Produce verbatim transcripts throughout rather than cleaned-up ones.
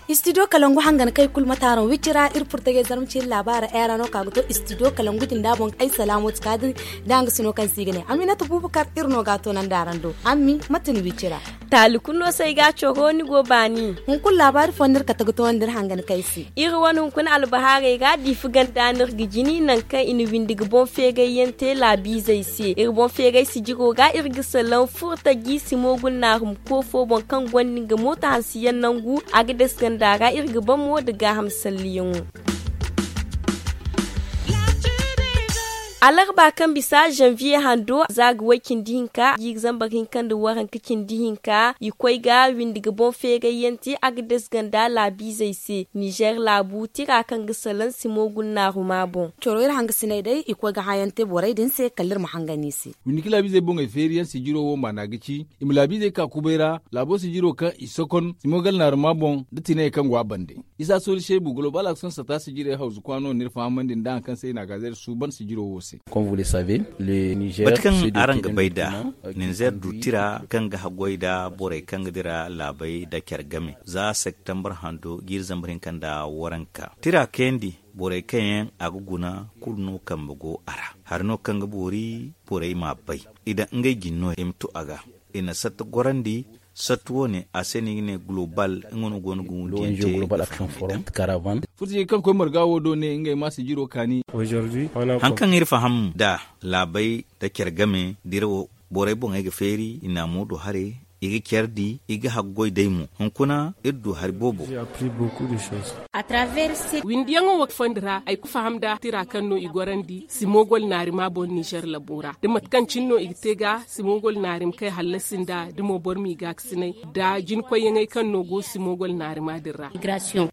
Istidiyo kalangu hangan kay kulu mataaraŋ wicira iri furtajey zarma ciiri laabaara eera no ka ga to istidiyo kalangu din da boŋ ay salaamo ti ka din da nga sino kaŋ si ga ne aminata bubakar iri no ga a to nanda araŋ do. Ammi mate ni wicira? Taali kulu no se ay ga a coro ni go baani. Hunkuna laabaari fo no iri kate ga towandi iri hangan kay se. Iri wane hunkuna albahaarey ra diifi ganda no iri ga jini nangu kaŋ i na windi ga boŋ feeray yaŋ te laabiizey se iri boŋ feeray sijiro ra iri ga salaŋ furtaji simo gulnaarum koofo boŋ kaŋ gonda nga mooto hanse yaŋ nangu. A ga dasi ganda ra iri ga baŋ mo nda gaaham salliyaŋo. Alarba kaŋ bisa zanviye hando za ga way cindi hinka jiiri zambar hinka nda waranka cindi hinka i koy ga windi ga boŋ feeray yaŋ te a ga dasi ganda laabiizey se nizer laabu tira kaŋ ga salaŋ simo gulnaaruma boŋ. Coro iri hangasiney day i koy ga hã yaŋ te borey din se kala iri ma hangan i se. Windi ga laabiizey boŋey feeri yaŋ sijiro wo maana ga ci i ma laabiizey ka kubay ra laabo sijiro kaŋ i sokon simo gulnaaruma boŋ nda tinayey kaŋ go a bande. Isa sooli seebu gulobal aksiyoŋ sata sijirey hawzu kwaano no iri fahamandi nda hari kaŋ se i na a gaazeeri suuban sijiro wo se. Bati kaŋ araŋ ga bay nd'a, ninzeer du tira kaŋ ga haggoy nda borey kaŋ ga dira laabey nda care game za septembar hando jiiri zambar hinka nda waranka tira kayandi borey kaŋ yaŋ a ga guna kulu no kambe go a ra. Hari no kaŋ ga boori borey m'a bay i daŋ ngey jine no i ma tu a ga. I na satta gorandi. Sattu wo- ne a se no i ga ne gulobal nga no go no ga wundiyaŋ te. Furtajey kaŋ koy marga wo do ne ngey ma sijiro kaani. Hari kaŋ iri faham nd'a laabey nda care game dira wo borey boŋey ga feeri i na a mo du haray. I ga care di i ga haggoy day mo hunkuna iri du hari boobo. Windiyaŋo wo fondi ra ay kulu faham nda tira kaŋ no i gorandi simogol naarima boŋ nizer labo ra da mate kaŋ cine no i ga te ga simogol naarim kay hallasi nda da mo boro m'i gaakasinay nda jinkoyyaŋey kaŋ no go simogol naarima din ra. I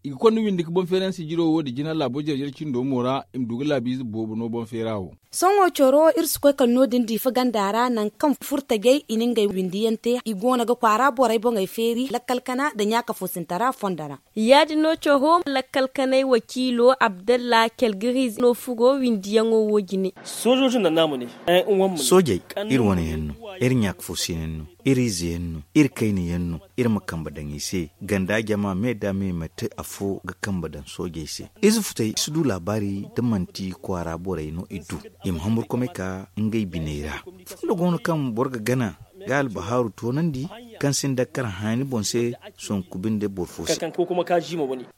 ga konda windi ga boŋ feeransi jiro wo da jina laabo jare-jare cindo mo ra i ma du ga laabiize boobo no boŋ feera wo. Sohõ coro iri si koy kala no- din diifa ganda ra nangu kaŋ furtajey i na ngey windiyaŋ te i go no ga kwaara borey boŋey feeri lakkal kana nda ɲaakafoosintara fondo ra. Ya- din no coro lakkal kanay wakiilo abdalla kelgiriize no furo windiyaŋo wo jine. Soojey iri wane yaŋ no, iri ɲaakafoosiyaŋ no, iri ize yaŋ no, iri kayna yaŋ no. Iri ma kambe daŋ i se ganda jama me da me ma te afo ga kambe daŋ soojey se. Ize futey si du laabaari da manti kwaara borey no i du. I ma hamburkumay ka ngey biney ra. Fondo go no kaŋ boro ga gana ga albahaaru toonandi kaŋ sinda kar haani boŋ se. Sonku binde boro fo se.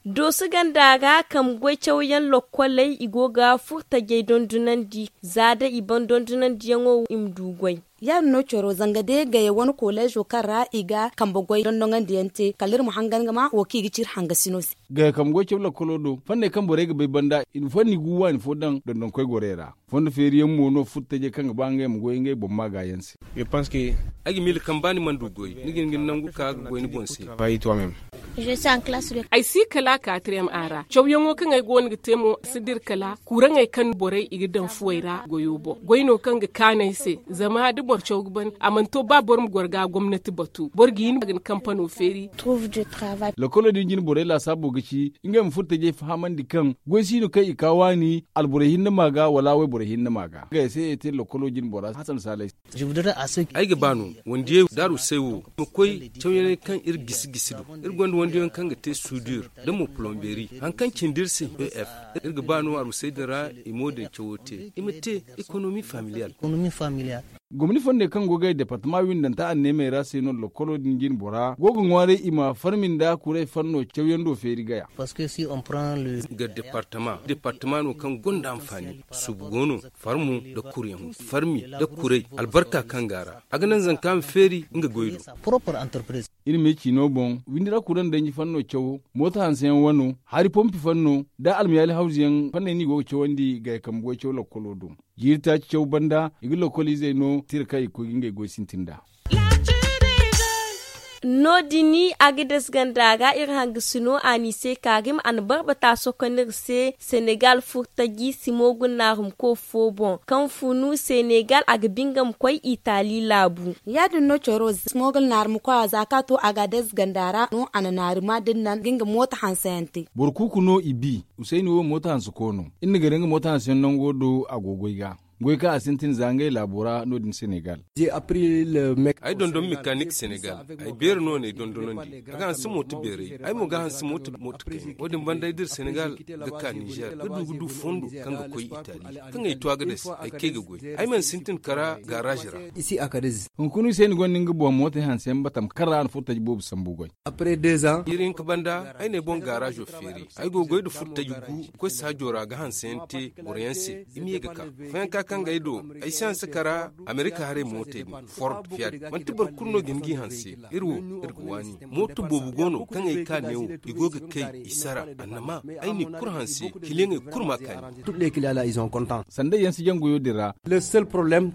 Dooso ganda ra kambe goy cawyaŋ lokkoley i go ga furtajey dondonandi za day i ban dondonandiyaŋo i ma du goy. Ya- din no coro zanga day gaya wane koleezo kaŋ ra i ga kambe goy dondoŋandiyaŋ te kala iri ma hangan ga ma wo kaŋ i ga ci iri hangasino se. Gaya kambe goy caw lakkolo do fanney kaŋ borey ga bay banda i na fanni gu waani fo daŋ dondonkoy gorey ra. Fondo feeriyaŋ mo no furtajey kaŋ ga ba ngey ma goy ngey boŋ maagaayaŋ se. Ay ga miila kaŋ ba ni mana du goy ni ga hin ga ni nangu ka ga goy ni boŋ se. Ay si kala katriyem a ra cawyaŋo kaŋ ay go no ga te mo si dira kala kuraŋey kaŋ borey i ga daŋ fuwey ra goyo boŋ goy no kaŋ ga kaanu ay se. Zama da boro caw ga ban a mana to ba boro ma goro ga gomnati batu boro ga hin a ga ni kampano feeri. Lakkolo din jine borey laasaabo ga ci ngey ma furtajey fahamandi kaŋ goy si no kaŋ i ka waani alborey hinne ma ga wala wayborey hinne ma ga ngey se ye te lakkolo jine bora hasan saalay se. Ay ga ba no wandiyey daaru say wo ma koy cawyaŋey kaŋ iri gisi gisi do. Iri gonda wandiyaŋ kaŋ ga te sudur da mo polomberi hari kaŋ cindi iri se ef. Iri ga ba no arusey din ra i mo din cawo te i ma te ekonomi familiyal. Gomni fondey kaŋ go ga ay departama windanta anneemey ra se no lakkolo din jine bora go ga ŋwaaray i ma farmi nda kuray fanno cawyaŋ do feeri gaya. Ga departama departama no kaŋ gonda anfaani suubu go no farmo nda kuryaŋo farmi nda kuray albarka kaŋ go a ra a ga naŋ zanka ma feeri nga goy do. Iri me ciino boŋ windi ra kuraŋ danji fanno cawo mooto hanseyaŋ wano hari pompi fanno nda almayaali hawzuyaŋ fanney no i go ga cawandi gaya kambe goy caw lakkolo do. Jiiri taaci caw banda i ga lakkol izey no tira kaŋ i ga koy ga ngey goy sintin nd'a. No- din a ga dasganda ra iri hangasino a n'i se karim a na barbata sohõ kaŋ iri se senegal furtaji simo guna naarumko fo boŋ kaŋ funu senegal a ga bingam koy itali laabu. Ya- din no coro simo guna naarumko a za kaŋ a to a ga a dasganda ra no a na naaruma da ni naŋ ga nga mooto hanse yaŋ te. Boro kuuku no i bi. Usayni wo mooto hanse ko no. Iri na gare nga mooto hanse yaŋ nango do a go goy ga goy kaŋ a sintin za ngey laabo ra no- din senegal. Ay dondon mekanik senegal. Ay beeri no n'ay dondonandi a ga hanse mooto beeray ay mo ga hanse mooto mooto kayna wo- din banda ay dira senegal ga ka nizer ga du ga du fondo kaŋ ga koy itali kaŋ ay to a ga dase ay kay ga goy. Ay mana sintin kara garaazi ra. Hunkuna usayni gonda nga boŋ mootey hanse yaŋ batam kaŋ ra a na furo taji boobo sambu goy. Iri hinka banda ay n'ay boŋ gaaraazo feeri ay go ga goy nda furo taji gu ga koy saajo ra ga hanse yaŋ te boro yaŋ se. I ma ye ga ka fooyaŋ ka kaŋ ga ay do ay si hanse kara amerika haray mootey din ford fiyaad manti boro kulu no ga hin g'i hanse. Iri wo iri ga waani mooto boobo go no kaŋ ay ka neewo i go ga kay i sara annama ay n'i kulu hanse kiliyaŋey kulu ma kaani. Sandey yaŋ si jaŋ goyo din ra.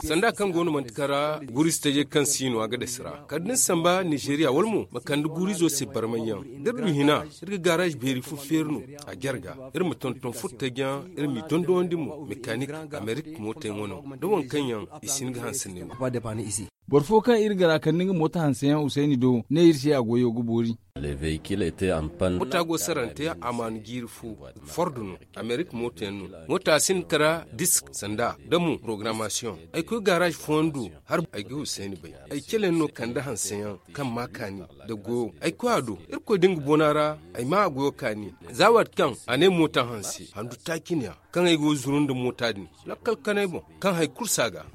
Sanda kaŋ go no manti kara guuri si tajey kaŋ si no a ga dasi ra kala da ni samba nizeriya wala mo ma kande guurizo se barmay yaŋ da iri du hina iri ga gaaraazi beeri fo feeri no. A jarga iri ma tonton furtaji yaŋ iri m'i dondowandi mo mekanik amerik mooto yaŋ wano da waŋ kaŋ yaŋ i si hin ga hanse neewo. Boro fo kaŋ iri gara kande nga mooto hanse yaŋ usayni do ne iri se a goyo ga boori. Moota go sarante a maanu jiiri fo. Ford no amerik mooto yaŋ no. Moota sinda kara disk sanda da mo porogarammasiyoŋ. Ay koy gaaraazi fooyaŋ do har ay ga husayni bay. Ay cale yaŋ no kande hanse yaŋ kaŋ ma kaani da goyo ay koy a do irkoy da nga boona ra. Ay ma a goyo kaani za waati kaŋ a ne moota hanse handu taaci ne ya kaŋ ay go ga zuru nda moota din lakkal kanay boŋ kaŋ hari kulu si a ga.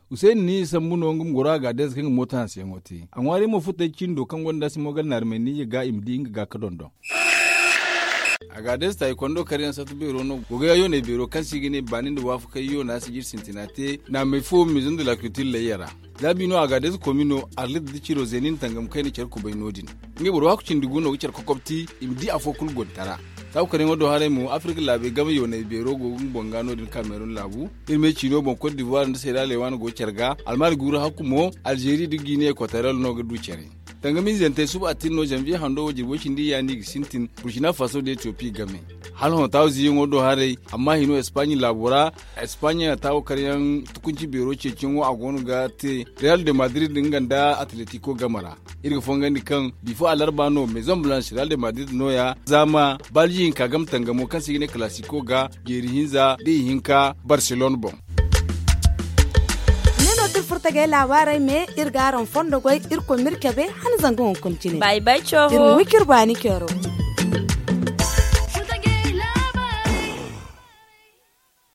Usayni ni sambu no nga ma goro a ga a deeza kaŋ ga mooto hanseyaŋo te a ŋwaaray mo furtay cindo kaŋ gonda simogal naari may niiya ga i ma di nga ga ka dondon. A ga a deeza taayi kondo karyaŋ sartu beero no gogoya yoonay beero kaŋ se i ga ne baani nda waafakay yoona si jiri sintina te naamay fo maison de la culture layya ra. Za bi no a ga a deeza komi no arlit da ciro zeeni nda tangam kayna care kubay no- din. Ngey boro waaku cindi gu no ga care kokobti i ma di afo kulu gontara. Saabu karaŋo do haray mo afirka laabey game yoonay beero go ga nga boŋ ga no- din kameerun laabu. Iri me ciino boŋ kot divoire nda seera leewaana go care ga almaari guuru hakku mo alzeeri nda guinee ekwatoriyal no ga du care. Tangamizantey suba attin no zanviye hando wo jirbo cindi yaani ga sintin burkina faso nda etiyopi game. Hala hõ taawo ziiyaŋo do haray amma hino espaaɲi laabo ra. Espaaɲa taawo karyaŋ tukunci beero ceeciyaŋo a go no ga te real de madrid nga nda atletiko game ra. Iri ga fongandi kaŋ bifo alarba no maison blanche real de madrid nooya zaama balji hinka game tangamo kaŋ se i ga ne kalasiko ga jeeri hinza da ihinka barcelona boŋ. Ne no da iri furo tagay laabaarey me iri ga araŋ fondo goy iri koy ma iri cabe hala zanga hunkuna cine. Iri ma wi ka iri baani ceero.